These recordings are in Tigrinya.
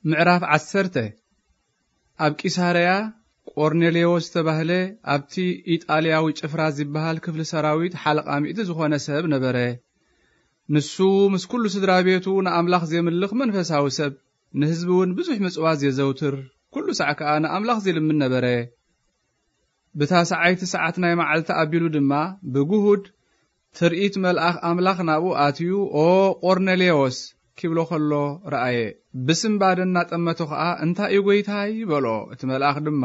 ምዕራፍ ዓሰርተ። ኣብ ቂሳርያ ቆርኔሌዎስ ዝተባህለ ኣብቲ ኢጣልያዊ ጭፍራ ዝበሃል ክፍሊ ሰራዊት ሓለቓ ሚእቲ ዝኾነ ሰብ ነበረ። ንሱ ምስ ኩሉ ስድራ ቤቱ ንኣምላኽ ዜምልኽ መንፈሳዊ ሰብ፣ ንህዝቢ እውን ብዙሕ ምጽዋት ዜዘውትር፣ ኩሉ ሳዕ ከኣ ንኣምላኽ ዜልምን ነበረ። ብታ ሰዓይቲ ሰዓት ናይ መዓልቲ ኣቢሉ ድማ ብግሁድ ትርኢት መልኣኽ ኣምላኽ ናብኡ ኣትዩ፣ "ኦ ቆርኔሌዎስ" ኪብሎ ኸሎ ረኣየ። ብስም ባደ እናጠመቶ ኸኣ፣ "እንታይ እዩ ጐይታይ?" በሎ። እቲ መልኣኽ ድማ፣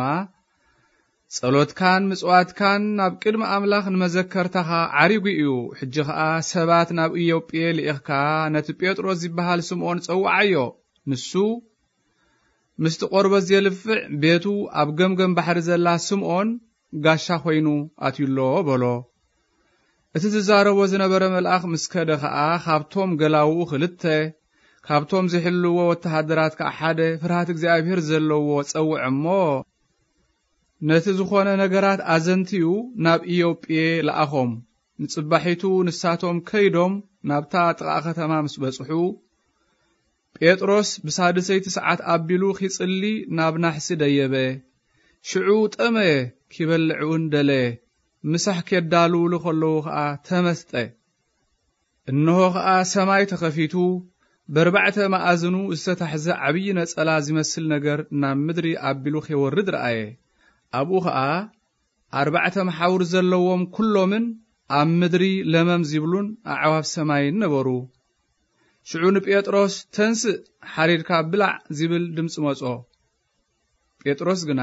"ጸሎትካን ምጽዋትካን ናብ ቅድሚ ኣምላኽ ንመዘከርታኻ ዓሪጉ እዩ። ሕጂ ኸኣ ሰባት ናብ ኢዮጴ ልኢኽካ፣ ነቲ ጴጥሮስ ዝበሃል ስምዖን ጸውዓዮ። ንሱ ምስቲ ቆርበት ዜልፍዕ ቤቱ ኣብ ገምገም ባሕሪ ዘላ ስምዖን ጋሻ ኾይኑ ኣትዩሎ" በሎ። እቲ ዝዛረቦ ዝነበረ መልኣኽ ምስ ከደ ኸኣ፣ ካብቶም ገላውኡ ኽልተ፣ ካብቶም ዚሕልዎ ወተሃደራት ከኣ ሓደ፣ ፍርሃት እግዚኣብሔር ዘለዎ ጸውዐ እሞ፣ ነቲ ዝኾነ ነገራት ኣዘንትዩ ናብ ኢዮጴ ለኣኾም። ንጽባሒቱ ንሳቶም ከይዶም ናብታ ጥቓ ኸተማ ምስ በጽሑ፣ ጴጥሮስ ብሳድሰይቲ ሰዓት ኣቢሉ ኺጽሊ ናብ ናሕሲ ደየበ። ሽዑ ጠመየ፣ ኪበልዕ እውን ደለየ። ምሳሕ ኬዳልውሉ ኸለዉ ኸኣ ተመስጠ። እንሆ ኸኣ ሰማይ ተኸፊቱ፣ በርባዕተ መኣዝኑ ዝተታሕዘ ዓብዪ ነጸላ ዚመስል ነገር ናብ ምድሪ ኣቢሉ ኼወርድ ረኣየ። ኣብኡ ኸኣ ኣርባዕተ መሓውር ዘለዎም ኵሎምን ኣብ ምድሪ ለመም ዚብሉን ኣዕዋፍ ሰማይን ነበሩ። ሽዑ ንጴጥሮስ፣ "ተንስእ፣ ሓሪድካ ብላዕ" ዚብል ድምጺ መጾ። ጴጥሮስ ግና፣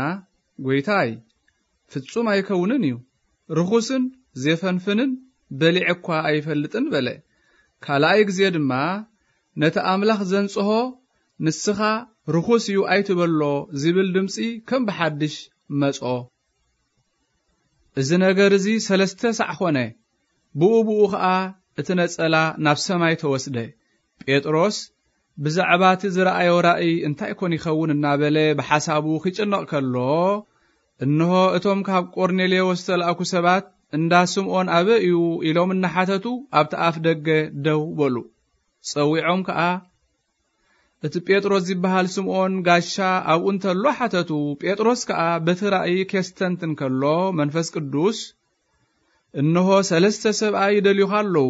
"ጐይታይ፣ ፍጹም ኣይከውንን እዩ። ርኹስን ዜፈንፍንን በሊዐ እኳ ኣይፈልጥን" በለ። ካልኣይ ግዜ ድማ፣ "ነቲ ኣምላኽ ዘንጽሆ ንስኻ ርኹስ እዩ ኣይትበሎ" ዚብል ድምጺ ከም ብሓድሽ መጾ። እዚ ነገር እዚ ሰለስተ ሳዕ ኾነ። ብኡ ብኡ ኸኣ እቲ ነጸላ ናብ ሰማይ ተወስደ። ጴጥሮስ ብዛዕባ እቲ ዝረኣዮ ራእይ እንታይ ኮን ይኸውን እናበለ ብሓሳቡ ኺጭነቕ ከሎ፣ እንሆ እቶም ካብ ቆርኔሌዎስ ዝተላእኩ ሰባት፣ "እንዳ ስምዖን ኣበይ እዩ?" ኢሎም እናሓተቱ ኣብቲ ኣፍ ደገ ደው በሉ። ጸዊዖም ከኣ፣ እቲ ጴጥሮስ ዝበሃል ስምዖን ጋሻ ኣብኡ እንተሎ ሓተቱ። ጴጥሮስ ከኣ በቲ ራእይ ኬስተንትን ከሎ፣ መንፈስ ቅዱስ፣ "እንሆ ሰለስተ ሰብኣይ ይደልዩኻ ኣለዉ።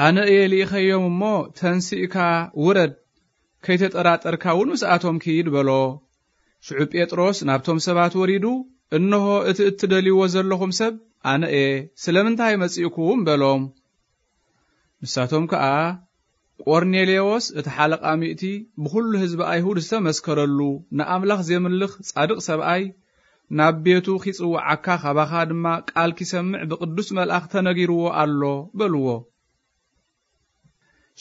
ኣነ እየ ልኢኸዮም እሞ፣ ተንሲእካ ውረድ፣ ከይተጠራጠርካ እውን ምስኣቶም ኪድ" በሎ። ሽዑ ጴጥሮስ ናብቶም ሰባት ወሪዱ፣ "እንሆ እቲ እትደልይዎ ዘለኹም ሰብ ኣነ እየ፣ ስለምንታይ መጺእኩም?" በሎም። ንሳቶም ከኣ፣ "ቆርኔሌዎስ እቲ ሓለቓ ሚእቲ ብኹሉ ህዝቢ ኣይሁድ ዝተመስከረሉ፣ ንኣምላኽ ዜምልኽ ጻድቕ ሰብኣይ፣ ናብ ቤቱ ኺጽውዓካ፣ ካባኻ ድማ ቃል ኪሰምዕ ብቕዱስ መልኣኽ ተነጊርዎ ኣሎ" በልዎ።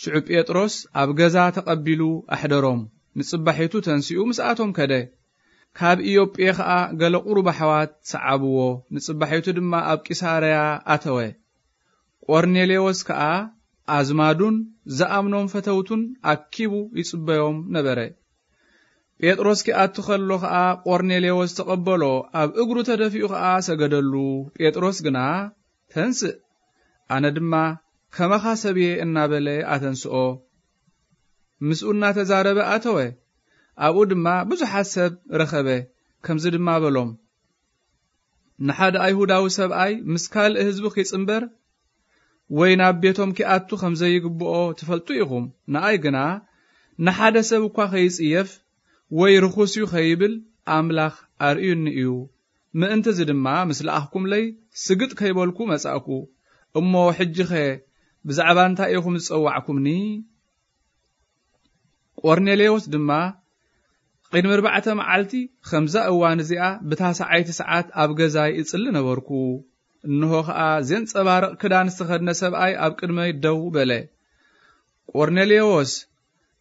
ሽዑ ጴጥሮስ ኣብ ገዛ ተቐቢሉ ኣሕደሮም። ንጽባሒቱ ተንሲኡ ምስኣቶም ከደ። ካብ ኢዮጴ ኸኣ ገለ ቁሩብ ኣሕዋት ሰዓብዎ። ንጽባሒቱ ድማ ኣብ ቂሳርያ ኣተወ። ቆርኔሌዎስ ከኣ ኣዝማዱን ዝኣምኖም ፈተውቱን ኣኪቡ ይጽበዮም ነበረ። ጴጥሮስ ኪኣቱ ኸሎ ኸኣ ቆርኔሌዎስ ተቐበሎ፣ ኣብ እግሩ ተደፊኡ ኸኣ ሰገደሉ። ጴጥሮስ ግና፣ "ተንስእ፣ ኣነ ድማ ከማኻ ሰብ እየ" እናበለ ኣተንስኦ። ምስኡ እናተዛረበ ኣተወ። ኣብኡ ድማ ብዙሓት ሰብ ረኸበ። ከምዚ ድማ በሎም፣ "ንሓደ ኣይሁዳዊ ሰብኣይ ምስ ካልእ ህዝቢ ኺጽንበር ወይ ናብ ቤቶም ኪኣቱ ኸም ዘይግብኦ ትፈልጡ ኢኹም። ንኣይ ግና ንሓደ ሰብ እኳ ኸይጽየፍ ወይ ርኹስ እዩ ኸይብል ኣምላኽ ኣርእዩኒ እዩ። ምእንቲ እዚ ድማ ምስ ለኣኽኩምለይ ስግጥ ከይበልኩ መጻእኩ። እሞ ሕጂኸ ብዛዕባ እንታይ ኢኹም ዝጸዋዕኩምኒ?" ቆርኔሌዎስ ድማ፣ "ቅድሚ ኣርባዕተ መዓልቲ ኸምዛ እዋን እዚኣ ብታ ሰዓይቲ ሰዓት ኣብ ገዛይ እጽሊ ነበርኩ። እንሆ ኸኣ ዜንጸባርቕ ክዳን ዝተኸድነ ሰብኣይ ኣብ ቅድመይ ደው በለ። ቆርኔሌዎስ፣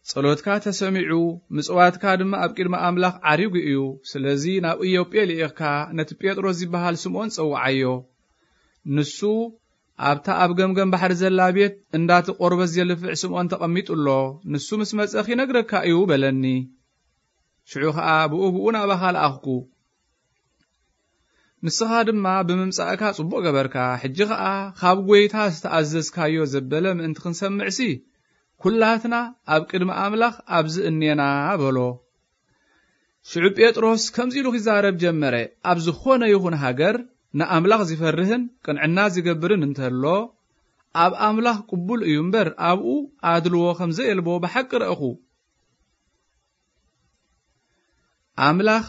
ጸሎትካ ተሰሚዑ፣ ምጽዋትካ ድማ ኣብ ቅድሚ ኣምላኽ ዓሪጉ እዩ። ስለዚ ናብ ኢዮጴ ልኢኽካ ነቲ ጴጥሮስ ዝበሃል ስምዖን ጸውዓዮ። ንሱ ኣብታ ኣብ ገምገም ባሕሪ ዘላ ቤት እንዳቲ ቆርበት ዜልፍዕ ስምዖን ተቐሚጡ ኣሎ። ንሱ ምስ መጸ ኺነግረካ እዩ" በለኒ። ሽዑ ኸኣ ብኡ ብኡ ናባኻ ለኣኽኩ። ንስኻ ድማ ብምምጻእካ ጽቡቕ ገበርካ። ሕጂ ኸኣ ካብ ጐይታ ዝተኣዘዝካዮ ዘበለ ምእንቲ ክንሰምዕሲ፣ ኩላትና ኣብ ቅድሚ ኣምላኽ ኣብዚ እኔና በሎ። ሽዑ ጴጥሮስ ከምዚ ኢሉ ኺዛረብ ጀመረ፣ ኣብ ዝኾነ ይኹን ሃገር ንኣምላኽ ዚፈርህን ቅንዕና ዚገብርን እንተሎ፣ ኣብ ኣምላኽ ቅቡል እዩ እምበር፣ ኣብኡ ኣድልዎ ከም ዘየልቦ ብሓቂ ረእኹ። ኣምላኽ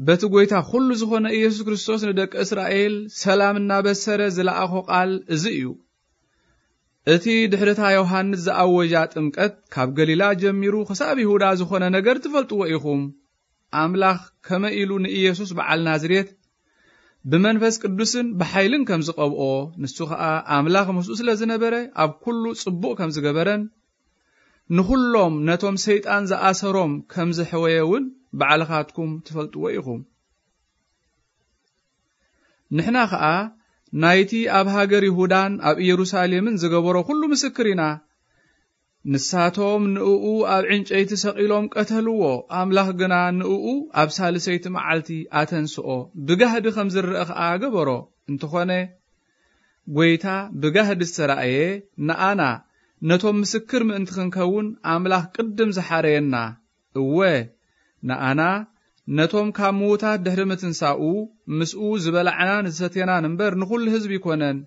በቲ ጐይታ ኹሉ ዝኾነ ኢየሱስ ክርስቶስ ንደቂ እስራኤል ሰላም እናበሰረ ዝለኣኾ ቃል እዚ እዩ። እቲ ድሕሪ እታ ዮሃንስ ዝኣወጃ ጥምቀት ካብ ገሊላ ጀሚሩ ክሳብ ይሁዳ ዝኾነ ነገር ትፈልጥዎ ኢኹም። ኣምላኽ ከመይ ኢሉ ንኢየሱስ በዓል ናዝሬት ብመንፈስ ቅዱስን ብሓይልን ከም ዝቐብኦ፣ ንሱ ኸኣ ኣምላኽ ምስኡ ስለ ዝነበረ ኣብ ኩሉ ጽቡቕ ከም ዝገበረን ንኹሎም ነቶም ሰይጣን ዝኣሰሮም ከም ዘሕወየ እውን ባዕልኻትኩም ትፈልጥዎ ኢኹም። ንሕና ኸኣ ናይቲ ኣብ ሃገር ይሁዳን ኣብ ኢየሩሳሌምን ዝገበሮ ኩሉ ምስክር ኢና። ንሳቶም ንእኡ ኣብ ዕንጨይቲ ሰቒሎም ቀተልዎ፣ ኣምላኽ ግና ንእኡ ኣብ ሳልሰይቲ መዓልቲ ኣተንስኦ፣ ብጋህዲ ከም ዝረአ ኸኣ ገበሮ። እንተኾነ፣ ጐይታ ብጋህዲ ዝተራእየ ንኣና ነቶም ምስክር ምእንቲ ክንከውን ኣምላኽ ቅድም ዝሓረየና፣ እወ፣ ንኣና ነቶም ካብ ምዉታት ድሕሪ ምትንሳኡ ምስኡ ዝበላዕናን ዝሰቴናን እምበር ንኹሉ ህዝቢ ኣይኮነን።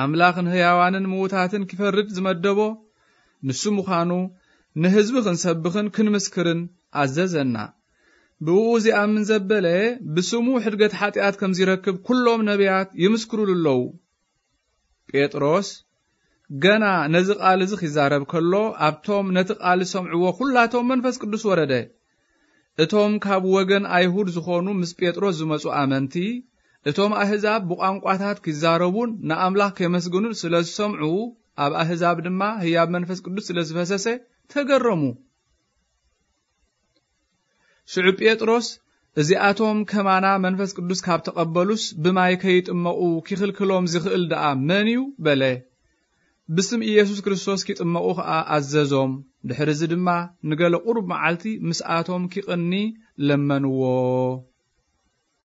ኣምላኽ ንህያዋንን ምዉታትን ኪፈርድ ዝመደቦ ንሱ ምዃኑ ንህዝቢ ክንሰብኽን ክንምስክርን ኣዘዘና። ብእኡ ዚኣምን ዘበለ ብስሙ ሕድገት ሓጢኣት ከም ዚረክብ ኩሎም ነቢያት ይምስክሩሉ ኣለዉ። ጴጥሮስ ገና ነዚ ቃል እዚ ኺዛረብ ከሎ፣ ኣብቶም ነቲ ቃል ዝሰምዕዎ ኹላቶም መንፈስ ቅዱስ ወረደ። እቶም ካብ ወገን ኣይሁድ ዝኾኑ ምስ ጴጥሮስ ዝመጹ ኣመንቲ፣ እቶም ኣህዛብ ብቋንቋታት ኪዛረቡን ንኣምላኽ ኬመስግኑን ስለ ዝሰምዑ፣ ኣብ ኣህዛብ ድማ ህያብ መንፈስ ቅዱስ ስለ ዝፈሰሰ ተገረሙ። ሽዑ ጴጥሮስ፣ "እዚኣቶም ከማና መንፈስ ቅዱስ ካብ ተቐበሉስ ብማይ ከይጥመቑ ኪኽልክሎም ዚኽእል ደኣ መን እዩ?" በለ። ብስም ኢየሱስ ክርስቶስ ኪጥመቑ ኸኣ ኣዘዞም። ድሕርዚ ድማ ንገለ ቁሩብ መዓልቲ ምስኣቶም ኪቕኒ ለመንዎ።